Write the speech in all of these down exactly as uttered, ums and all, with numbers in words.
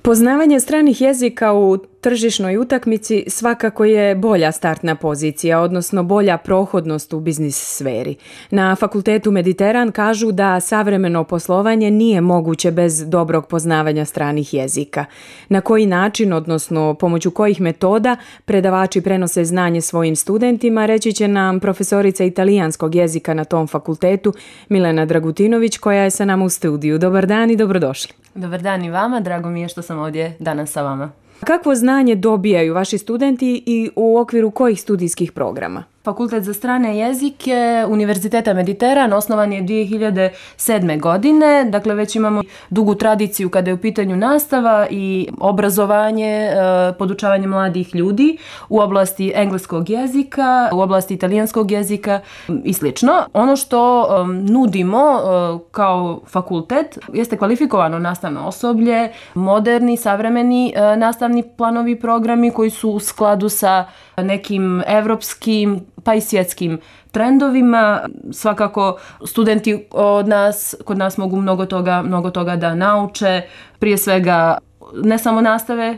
Poznavanje stranih jezika u tržišnoj utakmici svakako je bolja startna pozicija, odnosno bolja prohodnost u biznis sferi. Na Fakultetu Mediteran kažu da savremeno poslovanje nije moguće bez dobrog poznavanja stranih jezika. Na koji način, odnosno pomoću kojih metoda predavači prenose znanje svojim studentima, reći će nam profesorica italijanskog jezika na tom fakultetu Milena Dragutinović, koja je sa nama u studiju. Dobar dan i dobrodošli. Dobar dan i vama, drago mi je što sam ovdje danas sa vama. Kakvo znanje dobijaju vaši studenti i u okviru kojih studijskih programa? Fakultet za strane jezike Univerziteta Mediteran osnovan je dvije hiljade sedme. godine, dakle već imamo dugu tradiciju kada je u pitanju nastava i obrazovanje, podučavanje mladih ljudi u oblasti engleskog jezika, u oblasti italijanskog jezika i slično. Ono što nudimo kao fakultet jeste kvalifikovano nastavno osoblje, moderni, savremeni nastavni planovi i programi koji su u skladu sa nekim evropskim pa i svjetskim trendovima. Svakako studenti od nas, kod nas mogu mnogo toga, mnogo toga da nauče, prije svega ne samo nastave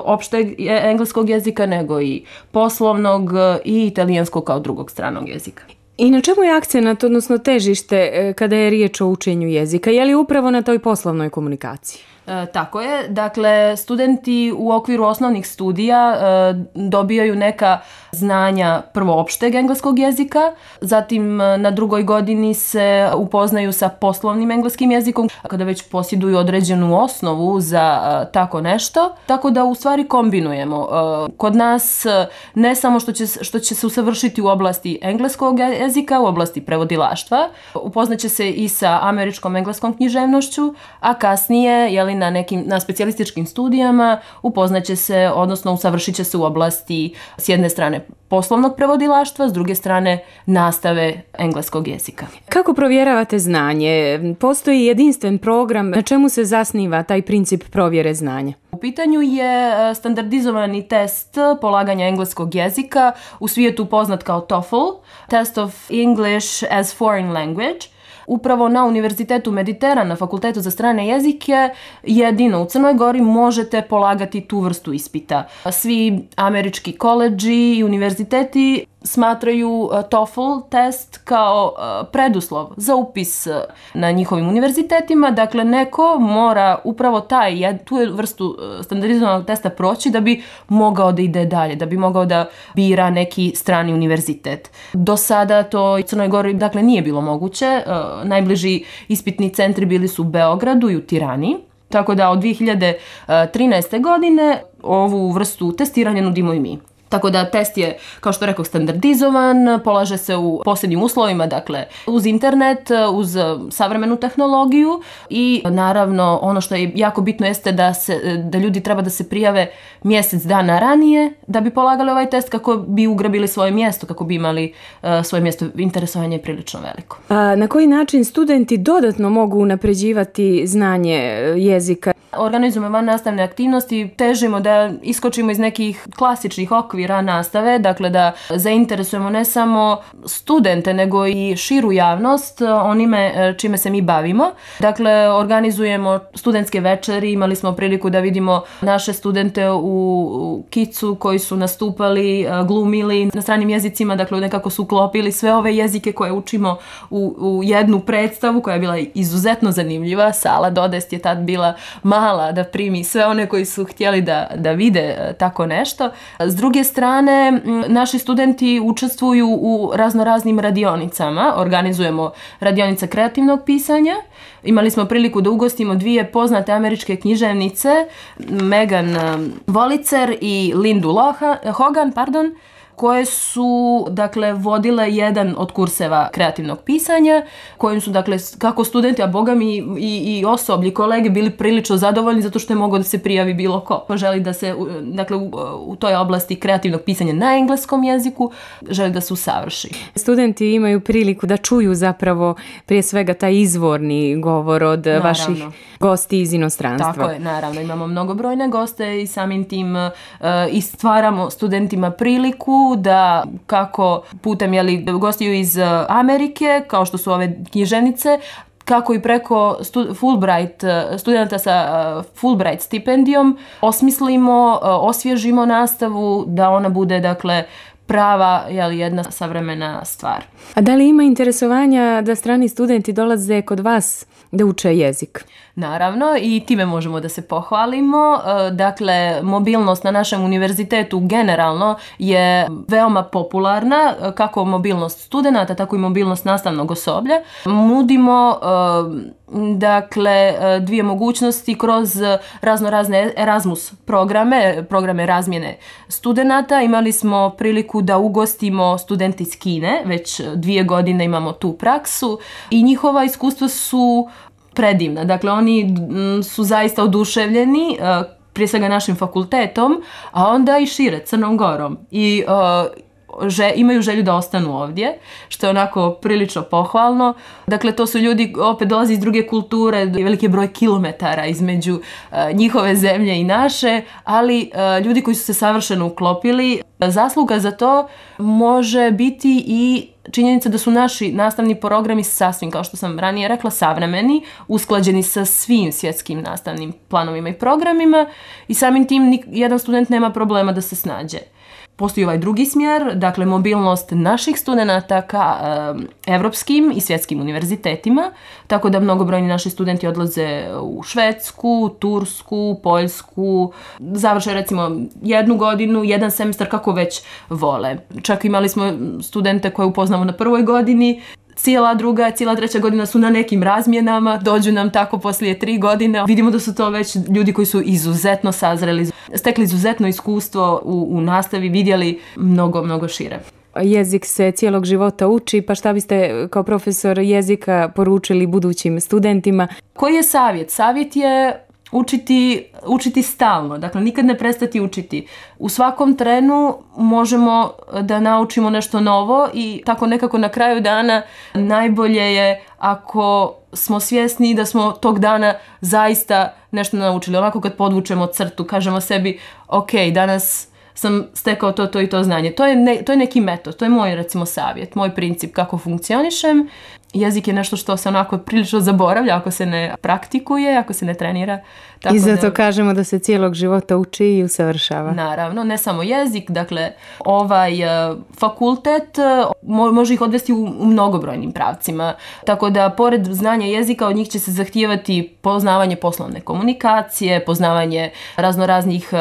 opšteg engleskog jezika, nego i poslovnog i italijanskog kao drugog stranog jezika. I na čemu je akcenat, odnosno težište kada je riječ o učenju jezika? Je li upravo na toj poslovnoj komunikaciji? E, tako je. Dakle, studenti u okviru osnovnih studija e, dobijaju neka znanja prvo opšteg engleskog jezika, zatim na drugoj godini se upoznaju sa poslovnim engleskim jezikom, kada već posjeduju određenu osnovu za e, tako nešto, tako da u stvari kombinujemo. E, kod nas ne samo što će, što će se usavršiti u oblasti engleskog jezika, u oblasti prevodilaštva, upoznaće se i sa američkom engleskom književnošću, a kasnije, jeli, na nekim na specijalističkim studijama upoznaće se, odnosno usavršit će se u oblasti s jedne strane poslovnog prevodilaštva, s druge strane nastave engleskog jezika. Kako provjeravate znanje? Postoji jedinstven program, na čemu se zasniva taj princip provjere znanja? U pitanju je standardizovani test polaganja engleskog jezika, u svijetu poznat kao TOEFL, Test of English as Foreign Language. Upravo na Univerzitetu Mediteran, na Fakultetu za strane jezike, jedino u Crnoj Gori možete polagati tu vrstu ispita. Svi američki koledži i univerziteti smatraju TOEFL test kao preduslov za upis na njihovim univerzitetima. Dakle, neko mora upravo taj, tu vrstu standardizovanog testa proći da bi mogao da ide dalje, da bi mogao da bira neki strani univerzitet. Do sada to u Crnoj Gori, dakle, nije bilo moguće. Najbliži ispitni centri bili su u Beogradu i u Tirani. Tako da od dvije hiljade trinaeste. godine ovu vrstu testiranja nudimo i mi. Tako da test je, kao što rekao, standardizovan, polaže se u posebnim uslovima, dakle uz internet, uz savremenu tehnologiju i naravno ono što je jako bitno jeste da, se, da ljudi treba da se prijave mjesec dana ranije da bi polagali ovaj test kako bi ugrabili svoje mjesto, kako bi imali uh, svoje mjesto. Interesovanje je prilično veliko. A na koji način studenti dodatno mogu unapređivati znanje jezika? Organizujemo van nastavne aktivnosti, težimo da iskočimo iz nekih klasičnih okvira nastave, dakle da zainteresujemo ne samo studente, nego i širu javnost onime čime se mi bavimo. Dakle, organizujemo studentske večeri, imali smo priliku da vidimo naše studente u Kicu koji su nastupali, glumili na stranim jezicima, dakle nekako su uklopili sve ove jezike koje učimo u, u jednu predstavu koja je bila izuzetno zanimljiva. Sala Dodest je tad bila mala da primi sve one koji su htjeli da, da vide tako nešto. S druge strane, naši studenti učestvuju u raznoraznim radionicama. Organizujemo radionica kreativnog pisanja. Imali smo priliku da ugostimo dvije poznate američke književnice, Megan Volicer i Lindu Hogan, pardon, koje su, dakle, vodile jedan od kurseva kreativnog pisanja, kojim su, dakle, kako studenti, a boga mi i, i osoblji, kolege bili prilično zadovoljni zato što je mogao da se prijavi bilo ko. Želi da se, dakle, u, u toj oblasti kreativnog pisanja na engleskom jeziku, želi da se usavrši. Studenti imaju priliku da čuju zapravo prije svega taj izvorni govor od naravno. Vaših gosti iz inostranstva. Tako je, naravno. Imamo mnogobrojne goste i samim tim uh, i stvaramo studentima priliku da kako putem, jeli, gostiju iz Amerike, kao što su ove književnice, kako i preko Fulbright, studenta sa Fulbright stipendijom osmislimo, osvježimo nastavu da ona bude, dakle, prava, jel, jedna savremena stvar. A da li ima interesovanja da strani studenti dolaze kod vas da uče jezik? Naravno, i time možemo da se pohvalimo. Dakle, mobilnost na našem univerzitetu generalno je veoma popularna, kako mobilnost studenata, tako i mobilnost nastavnog osoblja. Nudimo dakle dvije mogućnosti kroz razno razne Erasmus programe, programe razmjene studenata. Imali smo priliku da ugostimo studente iz Kine, već dvije godine imamo tu praksu i njihova iskustva su predivna. Dakle, oni su zaista oduševljeni, prije svega našim fakultetom, a onda i šire, Crnom Gorom. I uh, že, imaju želju da ostanu ovdje, što je onako prilično pohvalno. Dakle, to su ljudi, opet dolazi iz druge kulture, veliki broj kilometara između uh, njihove zemlje i naše, ali uh, ljudi koji su se savršeno uklopili. Zasluga za to može biti i činjenica da su naši nastavni programi sasvim, kao što sam ranije rekla, savremeni, usklađeni sa svim svjetskim nastavnim planovima i programima i samim tim jedan student nema problema da se snađe. Postoji ovaj drugi smjer, dakle mobilnost naših studenata ka e, evropskim i svjetskim univerzitetima, tako da mnogobrojni naši studenti odlaze u Švedsku, Tursku, Poljsku, završe recimo jednu godinu, jedan semestar kako već vole. Čak imali smo studente koje upoznamo na prvoj godini, cijela druga, cijela treća godina su na nekim razmjenama, dođu nam tako poslije tri godine. Vidimo da su to već ljudi koji su izuzetno sazreli, stekli izuzetno iskustvo u, u nastavi, vidjeli mnogo, mnogo šire. Jezik se cijelog života uči, pa šta biste kao profesor jezika poručili budućim studentima? Koji je savjet? Savjet je učiti, učiti stalno, dakle nikad ne prestati učiti. U svakom trenu možemo da naučimo nešto novo i tako nekako na kraju dana najbolje je ako smo svjesni da smo tog dana zaista nešto naučili. Onako kad podvučemo crtu, kažemo sebi ok, danas sam stekao to, to i to znanje. To je, ne, to je neki metod, to je moj recimo savjet, moj princip kako funkcionišem. Jezik je nešto što se onako prilično zaboravlja ako se ne praktikuje, ako se ne trenira. Tako I zato da, kažemo da se cijelog života uči i usavršava. Naravno, ne samo jezik, dakle ovaj uh, fakultet uh, mo- može ih odvesti u, u mnogobrojnim pravcima. Tako da pored znanja jezika od njih će se zahtijevati poznavanje poslovne komunikacije, poznavanje raznoraznih uh,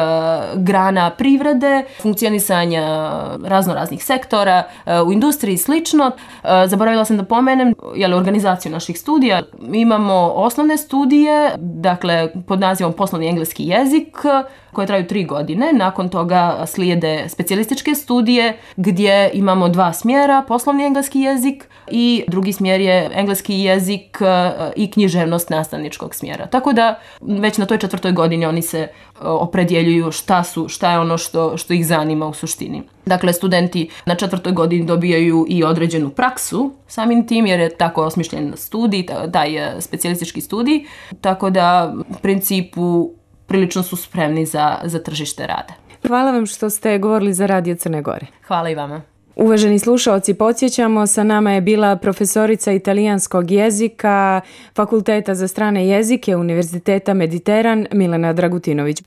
grana privrede, funkcionisanja raznoraznih sektora uh, u industriji i slično. Uh, zaboravila sam da pomenem jel, organizaciju naših studija. Imamo osnovne studije, dakle pod nazivom poslovni engleski jezik, koje traju tri godine. Nakon toga slijede specijalističke studije gdje imamo dva smjera, poslovni engleski jezik i drugi smjer je engleski jezik i književnost nastavničkog smjera. Tako da već na toj četvrtoj godini oni se opredjeljuju šta su, šta je ono što, što ih zanima u suštini. Dakle, studenti na četvrtoj godini dobijaju i određenu praksu samim tim jer je tako osmišljen studij, taj specijalistički studij, tako da u principu prilično su spremni za, za tržište rada. Hvala vam što ste govorili za Radio Crne Gore. Hvala i vama. Uvaženi slušaoci, podsjećamo, sa nama je bila profesorica italijanskog jezika Fakulteta za strane jezike Univerziteta Mediteran Milena Dragutinović.